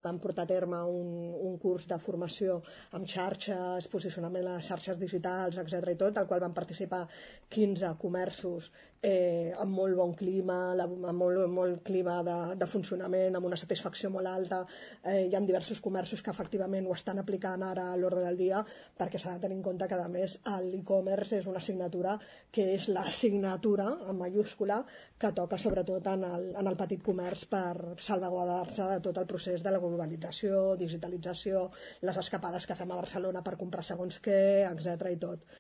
Vam portar a terme un curs de formació amb xarxes, posicionament a les xarxes digitals, etc. i tot, al qual van participar 15 comerços amb molt bon clima, amb molt clima de funcionament, amb una satisfacció molt alta. Hi ha diversos comerços que efectivament ho estan aplicant ara a l'ordre del dia, perquè s'ha de tenir en compte que, a més, l'e-commerce és una assignatura que és l'assignatura, en mayúscula, que toca sobretot en el petit comerç per salvaguardar-se de tot el procés de la globalització, digitalització, les escapades que fem a Barcelona per comprar segons què, etc. i tot.